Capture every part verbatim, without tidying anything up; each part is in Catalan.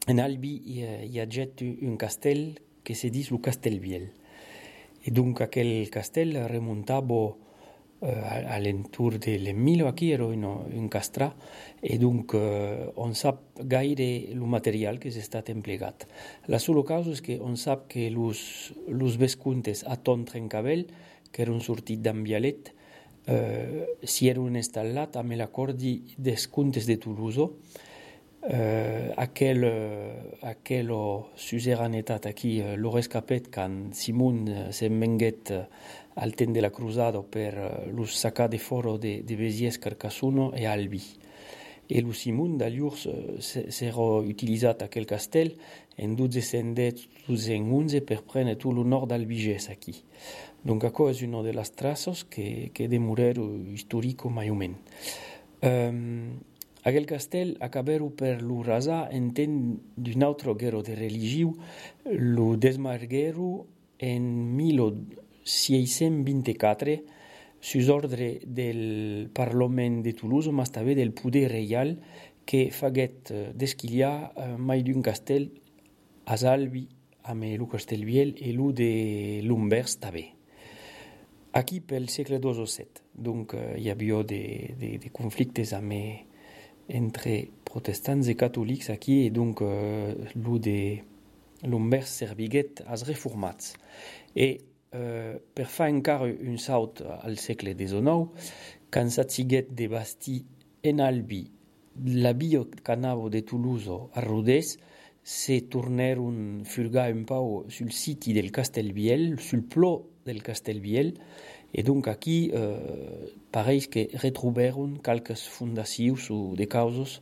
en Albi hi ha, hi ha jet un castell que se diu lo Castelviel. E donc aquel castell remontava uh, a l'entour de l'Emilio, aquí era un, un castrà, e donc uh, on sap gaire el material que s'ha estat emplegat. La sola causa és que on sap que los, los vescuntes a Ton Trencavell, que eren sortit d'Ambialet, uh, si eren instal·lat amb l'acordi des contes de Toulouse. Uh, aquel, uh, aquel suzeranetat aquí uh, l'ho rescapet quan Simon uh, se'n venguet uh, al temps de la cruzada per uh, lo sacar de foro de, de Béziers, Carcassonne e Albi. E lo Simon d'allurs uh, s'era utilitzat aquel castell en milleduecentodotze per prendre tot lo nord d'Albigès aquí. Donc això és una de les traces que, que demoreru historico mai o men. Um, Aquel castell acaberu per lo rasar en temps d'un altre guerra de religiu, lo desmargueru en milleseiscents vint-i-quatre sus ordre del Parlament de Toulouse, ma també del poder reial que faguet desquiliar uh, mai d'un castell a Albi amb lo Castelviel e lo de l'Umbers també. Aquí pel segle dos o set, donc uh, hi havia de, de, de conflictes amb entre protestants et catholics aquí, et donc euh, lo de l'Umbers serviguet als reformats. Et euh, per fer encara un saut al segle diecinueve, quan s'atsiguet de bastir en Albi la via canavo de Toulouse a Rodez, se torneron fulgar un pau sul siti del Castelviel, sul plò del Castelviel, et donc aquí euh, pareix que retroberon calques fundacions o de causes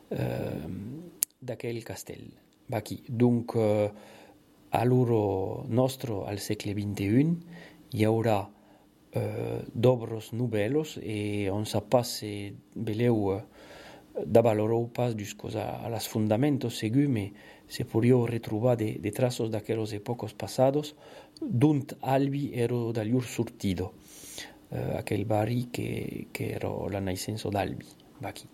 euh, d'aquell castell. Aquí. Donc, euh, a l'hora nostre, al segle vinti-un, hi haurà euh, d'obres novel·les e on sap pas si veleu uh, d'avalorou pas jusqu'aux a, a las fundamentos segur, mais se podria retrobar de, de traços d'aquelles èpoques passades d'ont Albi era d'allur sortido, uh, aquell barri que, que era la naixença d'Albi, aquí.